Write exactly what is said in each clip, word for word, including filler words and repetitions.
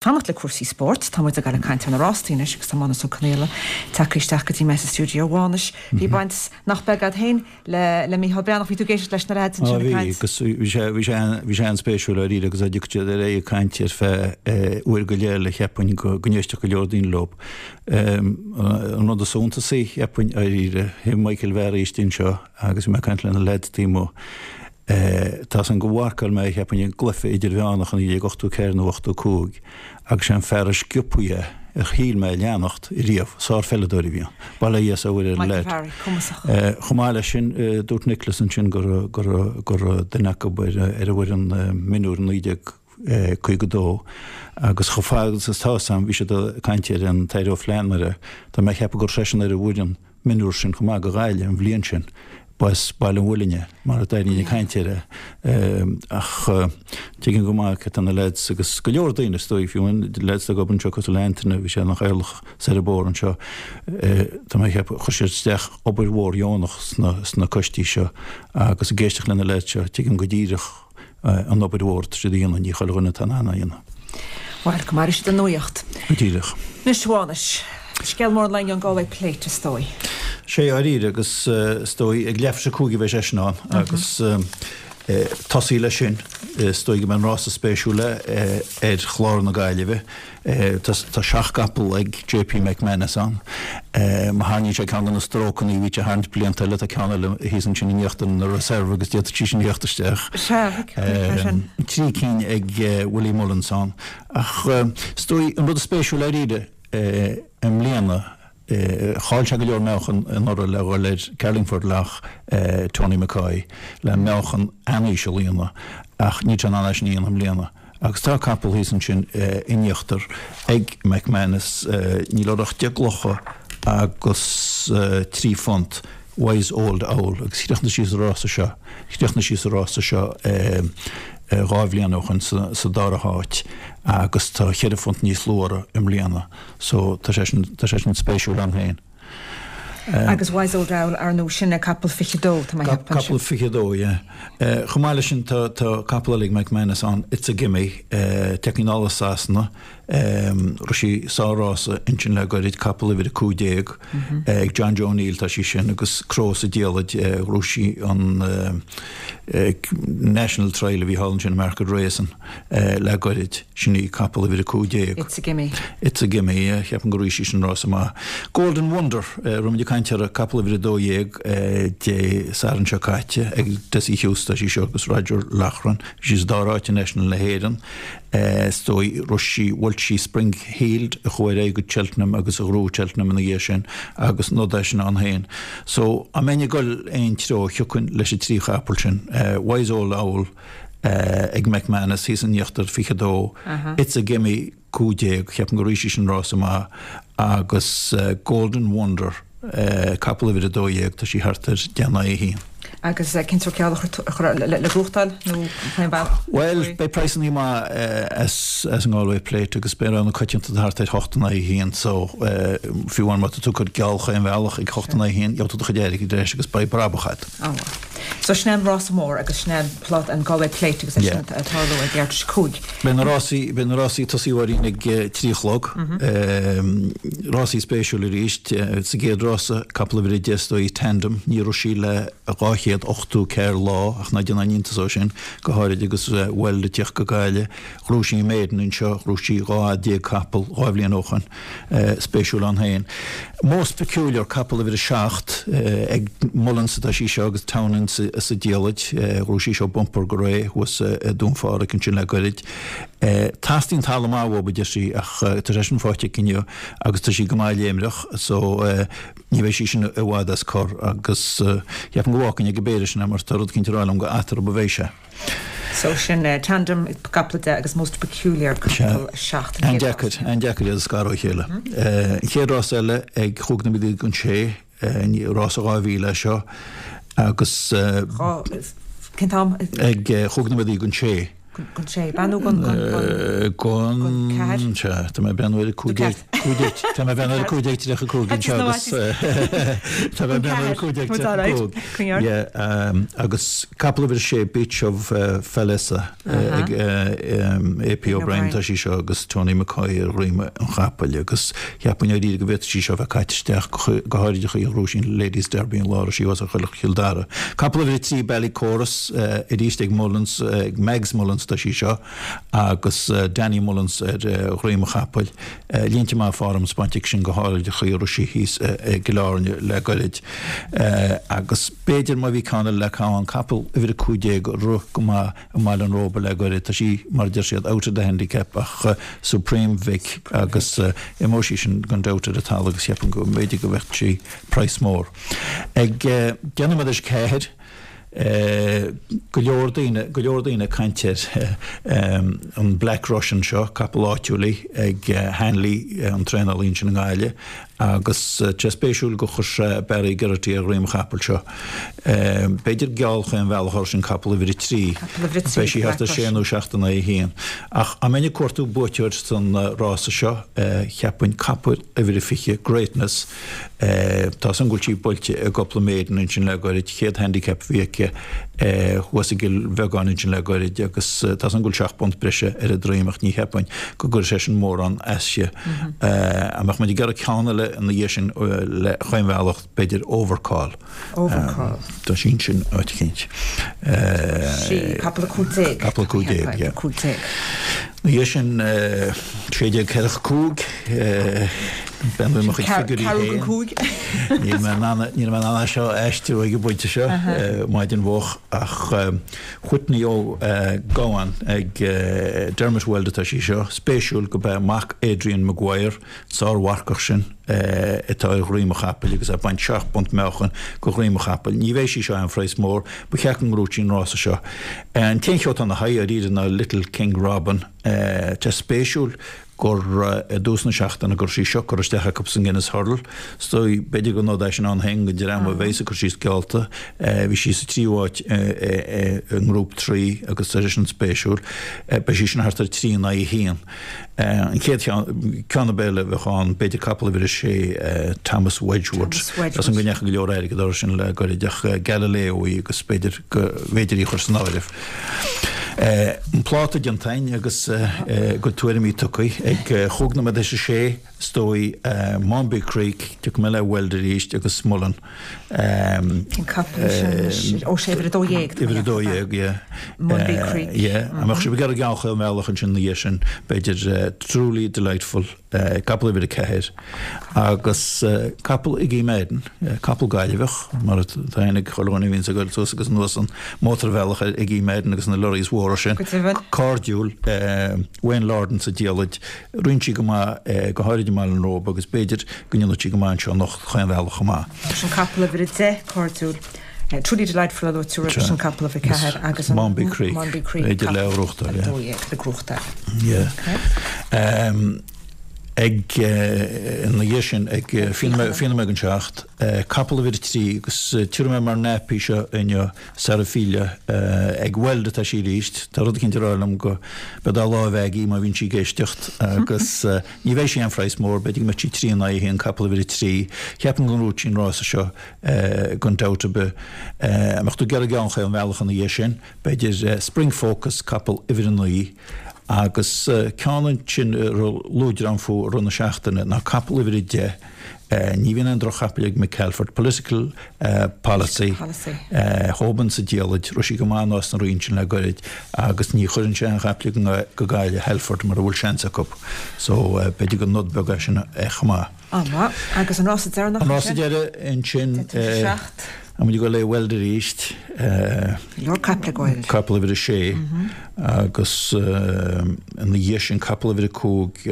Fanacht le cúrsaí spóirt, tá muid ag gabháil ag caint ar na rástaí anois agus tá Mánus Ó Conaola tagtha isteach go dtí mé sa stiúideo. A Mhánais, bhí baint nach beag agat féin le le Mícheál Breathnach, bhí tú ag éisteacht leis na leaids ansin ag bhí caint. Agus bhí sé bhí sé bhí sé an-spéisiúil dáiríre agus a dtiocfadh siad ar aghaidh ag caint ar feadh uair go leith eile cheapfainn go go n-éistfeadh go leor daoine leo. An rud is suntasaí cheapfainn dáiríre, bhí Michael Mheáraí istigh anseo agus bhí mé ag caint le na leaids taobh amuigh. Tá san go mharcáil mé cheapfainn i gcluiche idirmheánach i naoi déag ochtó ceathair nó ochtó cúig agus sé an fear is sciobthaí é a shíl mé a leanacht riamh, sárpheileadóir a bhí ann. Bail ó Dhia is ó Mhuire ar an Michael leaid. Barry, cumasach. Chomh maith leis sin, dúirt Nicholas ansin go raibh go raibh go raibh duine acu ar ar an bhfoireann mionúir i naoi déag caoga dó agus chomh fada agus atá 'fhios a'm bhí siad ag caint ar an tAire Ó Flannchadha, tá mé ag ceapadh go raibh seisean ar an bhfoireann mionúir sin chomh maith do Ghaillimh an bhliain sin. Ba as Baile an Mhuilinn é, mar a d'éirínn ag caint air é. Ach tuigim go maith cad tá na leaids agus go leor daoine is dóigh, fiú an leaids atá ag obair anseo cosúil le Antaine, bhí sé ina chathaoirleach soir an bóthar anseo, tá mé ag ceapadh, chuir siad isteach obair mhór dheonach sna sna coistí seo agus ag éisteacht le na leaids seo, tuigim go díreach an obair mhór atá siad a dhéanamh, ní chuile dhuine atá in ann é a dhéanamh. Bhuel, go maire siad a nuaíocht. Go díreach. Anois, a Mhánais, scéal mór an lae inniu an Galway Plate, is dóigh. Sé dáiríre agus is dóigh ag leathuair tar éis a cúig a bheidh sé sin ann agus tosaí leis sin is dóigh go mbeidh an rása spéisiúil ar chlár na Gaillimhe. Tá seacht gcapall ag J P McManus ann. Má tharraingíonn sé ceann de na strócanna a bhí sé a tharraingt blianta eile, tá ceann eile thíos ansin in íochtar ina reserve agus d'fhéadfadh sí sin a theacht isteach. Trí cinn ag Willie Mullins ann. Ach is dóigh an rud is spéisiúil dáiríre i mbliana, chaill sé go leor meáchan anuraidh le dhul ar Carlingford Lough, Tony McCoy, le meáchan an-íseal a dhéanamh ach níl sé in ann é sin a dhéanamh i mbliana. Agus tá capall thíos ansin in íochtar ag McManus, níl uirthi ach deich gclocha agus trí phunt, Wise Old Owl, agus chríochnaigh sí sa rása seo, chríochnaigh sí sa rása seo dhá bhliain ó shoin sa dara háit agus tá cheithre phunt níos lú uirthi i mbliana so tá sé sin, tá sé sin spéisiúil ann féin. Agus Wise Old Owl, ar ndóigh, sin é capall fiche dó, tá mé a cheapadh ansin. Capall fiche dó, yeah. Chomh maith leis sin tá tá capall eile ag McManus ann, It's a Gimme, tagtha anall as Sasana, rith sí sár-rása ansin le goirid, capall uimhir a cúig déag, ag John Joe O'Neill tá sí sin agus cró sa diallait, ghnóthaigh sí an National Trial a bhí thall ansin i Market Rasen le goirid, sin í capall uimhir a cúig déag. It's a Gimme. It's a Gimme, yeah, cheapaim gur rith sí sin rása maith. Golden Wonder, raibh muid ag caint uirthi, capall uimhir a dó dhéag Dé Sathairn seo caite ag Dessie Hughes tá sí seo agus Roger Loughran, bhí sí sa dara háit i National na hÉireann, is dóigh, rith sí, bhuail sí Spring Heeled a chuaigh ar aghaidh go Cheltenham agus a ghnóthaigh Cheltenham ina dhiaidh sin agus nod é sin ann féin. So, dá mbeinn ag dul aon treo, thiocfainn leis an trí chapall sin, Wise Old Owl ag McManus thíos in íochtar, fiche dó, It's a Gimme, cúig déag, cheapaim gur rith sí sin rása maith, agus Golden Wonder, capall uimhir a dó dhéag, tá sí thart ar deich in aghaidh a haon. Agus cén sórt geall a chur le gnóthachtáil nó chaon bhealach? Bhuel, beidh praghsanna maith as an nGalway Plate agus beidh rogha na coitianta thart ar hocht in aghaidh a haon so fiú amháin má tá tú ag cur geall chaon bhealach ag hocht in aghaidh a haon, gheobhaidh tú do chuid airgid ar ais agus beidh brabach agat. Ó. So sin é an rása mór agus sin é an plot, an Galway Plate agus é sin ag tarlú ag leathuair tar éis a cúig. Beidh na rásaí, beidh na rásaí ag tosaí Mháirín ag trí a chlog. Rásaí spéisiúil arís. Sa gcéad rása, capall uimhir a deich is dóigh Tandem, ní raibh sí le dhá chéad ochtó ceathair lá ach ná déan aon iontas ó sin, go háirid agus Weld ag teacht go Gaillimh. Ghnóthaigh sí Maiden anseo, ghnóthaigh sí dhá fhad déag capall dhá bhliain ó shoin. Spéisiúil ann féin. Most Peculiar, capall uimhir a seacht, ag Mullins atá sí seo agus Townend sa diallait. Ghnóthaigh sí seo bumper go réidh thuas i Dún Phádraig ansin le goirid. Teastaíonn talamh maith uathu, a deir sí, ach tá sé sin faighte aici inniu agus tá sí go maith léimreach so ní bheidh sí sin i bhfad as cor agus cheapfainn go bhfágfainn ag an bpéire sin é mar tá rud eicínt ag rá liom gur eatarthu a bheidh sé. So sin Tandem, capall a deich agus Most Peculiar, capall a seacht. An deacair, an deacair iad a scaradh ó chéile. An chéad rás eile ag chúig nóiméad don sé, rás a dhá mhíle é seo agus Dhá, cén t-am? Ag chúig nóiméad don sé. Gon sé banu gon gon Tá mé ben cúig Tá mé ben cúig tríocha cúig agus Tá mé ben cúig agus capall uimhir sé Beach of Falesa ag AP O'Brien tá sí seo agus Tony McCoy ar dhroim an chapaill agus cheapfainn ar go bhféadfadh sí seo bheith caite isteach go háirid chaoi a raibh sí Ladies Derby an lá sí was a chuile Chill Dara. Capall uimhir trí Ballycorus arís ag Mullins ag Mags Mullins tá sí seo agus Danny Mullins ar dhroim an chapaill. Línte maith form spáinte sin go háirid a chaoi a raibh sí thíos i gCill Airne le goirid. Agus b'fhéidir má bhí ceann le ceann capall uimhir a cúig déag rith go maith i mBaile an Róba le goirid tá sí mar deir siad out of the handicap ach Supreme Vic agus imeoidh sí sin gan dabht ar an talamh agus cheapfainn go mb'fhéidir go bheadh sí praghas mór. Ag deich nóiméad théis ceathair go leor daoine go leor daoine ag caint ar an Black Russian seo, capall áitiúil í ag Hanley an traenálaí ansin i nGaillimh agus tá spéisiúil go chuir sé Barry Geraghty ar dhroim an chapaill seo. B'fhéidir geall chaon bhealach air sin capall uimhir a trí. Beidh sí thart ar sé nó seacht in aghaidh a haon. Ach dá mbeinn ag cuartú buaiteoir san rása seo, cheapfainn capall uimhir a fiche, Greatness, Tá san go bhfuil sí buailte i gcúpla maiden ansin le goirid, chéad handicap a bhí aici thuas i gCill Bheagáin ansin le goirid agus tá san go bhfuil seacht bpunt breise ar a droim ach ní cheapfainn go gcuirfidh sé sin mórán aisti. Dá mbeadh muid ag iarraidh ceann eile ina dhiaidh sin le chaon bhealach b'fhéidir Overcall. Overcall. Tá sí ansin áit eicínt. Sí, capall a cúig déag. Capall a cúig déag, yeah. Cúig déag. Ina dhiaidh sin sé déag ceathracha cúig, Bean mo chuid figiúirí féin. Níl mé in ann níl mé in ann é seo a aistriú ag an bpointe seo, maidin mhoch, ach Whitney Ó Gabhann ag Dermot Weld atá sí seo. Spéisiúil go b'é mac Adrian Maguire, sármharcach sin, atá ar dhroim an chapaill agus é ag baint seacht bpunt meáchain go dhroim an chapaill. Ní bheidh sí seo aon phraghas mór, ba cheart go ngnóthódh sí an rása seo. An t-aon cheo atá ina haghaidh dáiríre ná Little King Robin. Tá spéisiúil gur i dtús na seachtaine go raibh sí seo curtha isteach acu sa Guinness Hurdle. Is dóigh, b'fhéidir gur nod é sin ann féin don dream a bheas ag cur síos geallta. Bhí sí sa tríú háit i nGrúp trí agus tá sé sin spéisiúil. Beidh sí sin thart ar trí in aghaidh a haon. An chéad cheann, ceann ab eile a bheadh ann, b'fhéidir capall uimhir a sé, Thomas Wedgwood. Tá san go ndeachaigh go leor airgid orthu sin le goirid ach Galileo í agus b'fhéidir go bhféidir í a chur san áireamh. An pláta déanta againn agus a gcuid tuairimí tugtha ag chúig nóiméad théis a sé, is dóigh, Maunby Creek, tiocfaidh mé le Weld arís agus Mullen. Cén capall é sin anois? Ó sé, uimhir a dó dhéag. Uimhir a dó dhéag, yeah. Maunby Creek. Yeah. Dá mbeadh sibh ag iarraidh geall chaon bhealach ansin ina dhiaidh sin, b'fhéidir Truly Delightful. Capall uimhir a ceathair agus capall ag Guy Madden, capall Gaillimheach, mar atá aithne ag chuile dhuine a bhíonns ag goil suas agus anuas an mótarbhealach ar Guy Madden agus na lorries mhóra sin. Go deimhin. Cairdiúil, Wayne Lordan sa diallait. Rinne sí go maith, go háirid i mBaile an Róba agus b'fhéidir go ndéanfaidh sí go maith anseo anocht chaon bhealach chomh maith. Sin capall uimhir a deich, Cairdiúil. Truly Delightful a luaigh tú roimhe sin, capall uimhir a ceathair agus an Maunby Creek, Maunby Creek, b'fhéidir le capall gnóthachtáil, a yeah. dó dhéag le gnóthachtáil. Yeah. Okay. Um, ag ina dhiaidh sin ag fiche nóiméad don seacht, capall uimhir a trí agus tabharfaidh mé mar nap í seo inniu, Sarafila, ag Weld atá sí arís, tá rud eicínt ag rá liom go beidh dá láimh aige má bhíonn sí ag éisteacht agus ní bheidh sí aon phraghas mór, b'fhéidir go mbeidh sí trí in aghaidh a haon, capall uimhir a trí. Cheapfainn go ngnóthóidh sí an rása seo gan dabht ar bith. Dá mbeadh tú ag iarraidh geall chaon bhealach ina dhiaidh sin, b'fhéidir Spring Focus, capall uimhir a naoi. Agus ceann ansin a raibh luaidreán fúthu i rith na seachtaine ná capall uimhir a deich, ní bhíonn aon droch-chapaill ag Mick Halford, Political Policy, Hoban sa diallait, raibh sí go maith i Nás na Rí ansin le goirid agus ní chuireann sé aon chapaill go Gaillimh, Halford, mura bhfuil seans acu. So b'fhéidir gur nod beag é sin chomh maith. An-mhaith. Agus an rása deireanach An ansin? rása deiridh ansin. Deich tar éis a seacht. Tá muid ag dul le Weld arís. Go leor caiple ag Weld. Capall uimhir a sé agus ina dhiaidh sin capall uimhir a cúig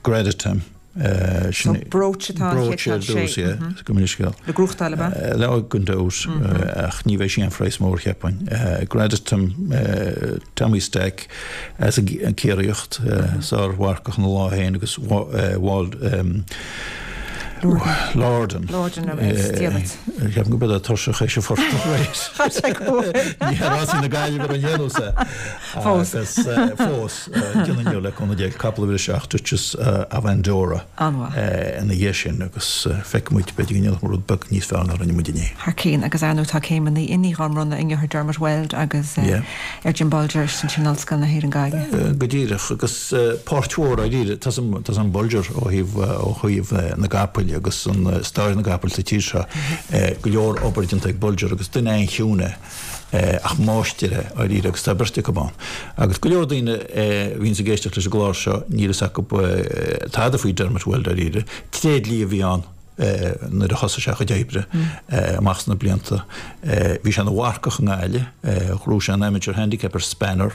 Gradatim. So Brooch atá an chéad Brooch ar cheann sé. dtús, yeah. Go minic scéal. Le gnóthachtáil ab ea? Le gan dabht ach ní bheidh sí aon phraghas mór cheapfainn. Gradatim Tommy Stack as an Ciarraíocht, sármharcach ina lá féin agus Wald Lorden. Lorden is diabhal. Ceapaim go bhfuil tuirseach é forta Ní rásaí na Gaillimhe ar an dhéanamh Fós. Agus fós déanann le cúnamh Dé capall uimhir a seacht Duchess of Andorra ina dhiaidh sin agus feicfidh muid b'fhéidir go ndéanfadh rud beag níos fearr ná rinne muid inné. Thar cinn agus ar ndóigh tá céimeanna inní á mbronnadh inniu ar Dermot Weld agus ar Jim Bolger sin Ollscoil na hÉireann Gaillimh. Go díreach agus páirt mhór dáiríre tá an Bolger ó thaobh ó thaobh na gcapall agus an stair na gcapall sa tír seo go leor obair déanta ag Bolger agus duine an-chiúin é ach máistir é dáiríre agus tá beirt acu ann. Agus go leor daoine a bhíonns ag éisteacht leis an gclár seo níl fhios acu tada faoi Dermot Weld dáiríre. Tréidlia a bhí ann nuair a thosaigh sé a chuid oibre amach sna blianta. Bhí sé ina mharcach i nGaillimh, ghnóthaigh sé an Amateur Handicap ar Spanner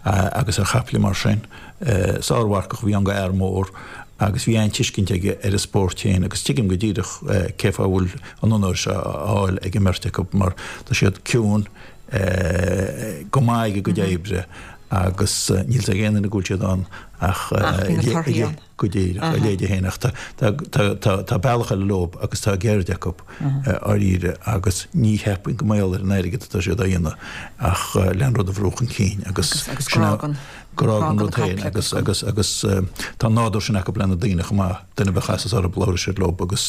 agus ar chaiple mar sin. Sármharcach a bhí ann go fhear mór agus bhí an-tuiscint aige ar an spórt féin agus tuigim go díreach cé fáth a bhfuil an onóir seo á fháil ag an mbeirt acu mar tá siad ciúin, go maith ag a gcuid oibre agus níl fhios ag aon duine go bhfuil siad ann ach go díreach, a leithéide féin ach tá bealach eile leo agus tá ceird acu dáiríre agus ní cheapfainn go mbeadh ar an airgead atá siad á dhéanamh ach le an rud a bhrú chun cinn agus grá don grá don rud féin agus agus agus tá an nádúr sin acu le na daoine chomh maith, duine ar bith a chasas orthu labhróidh siad leo agus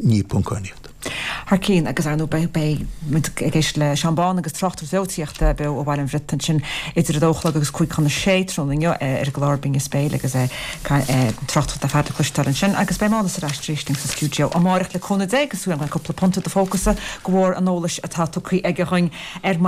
ní poncáin iad. Thar cinn agus ar ndóigh beidh muid ag éisteacht le Seán Bán agus tráchtaireacht bheo beo ó Bhaile an Bhriotaigh ansin idir a dó a chlog agus cúig chun a sé tráthnóna inniu ar an gclár Binn is Béal agus tráchtaireacht ar fad le cloisteáil ansin agus beidh Mánas ar ais arís linn sa stiúideo amárach le cúnamh Dé agus súil agam go mbeidh cúpla punt i do phócasa de bharr an eolais atá tugtha aige dhúinn ar maidin.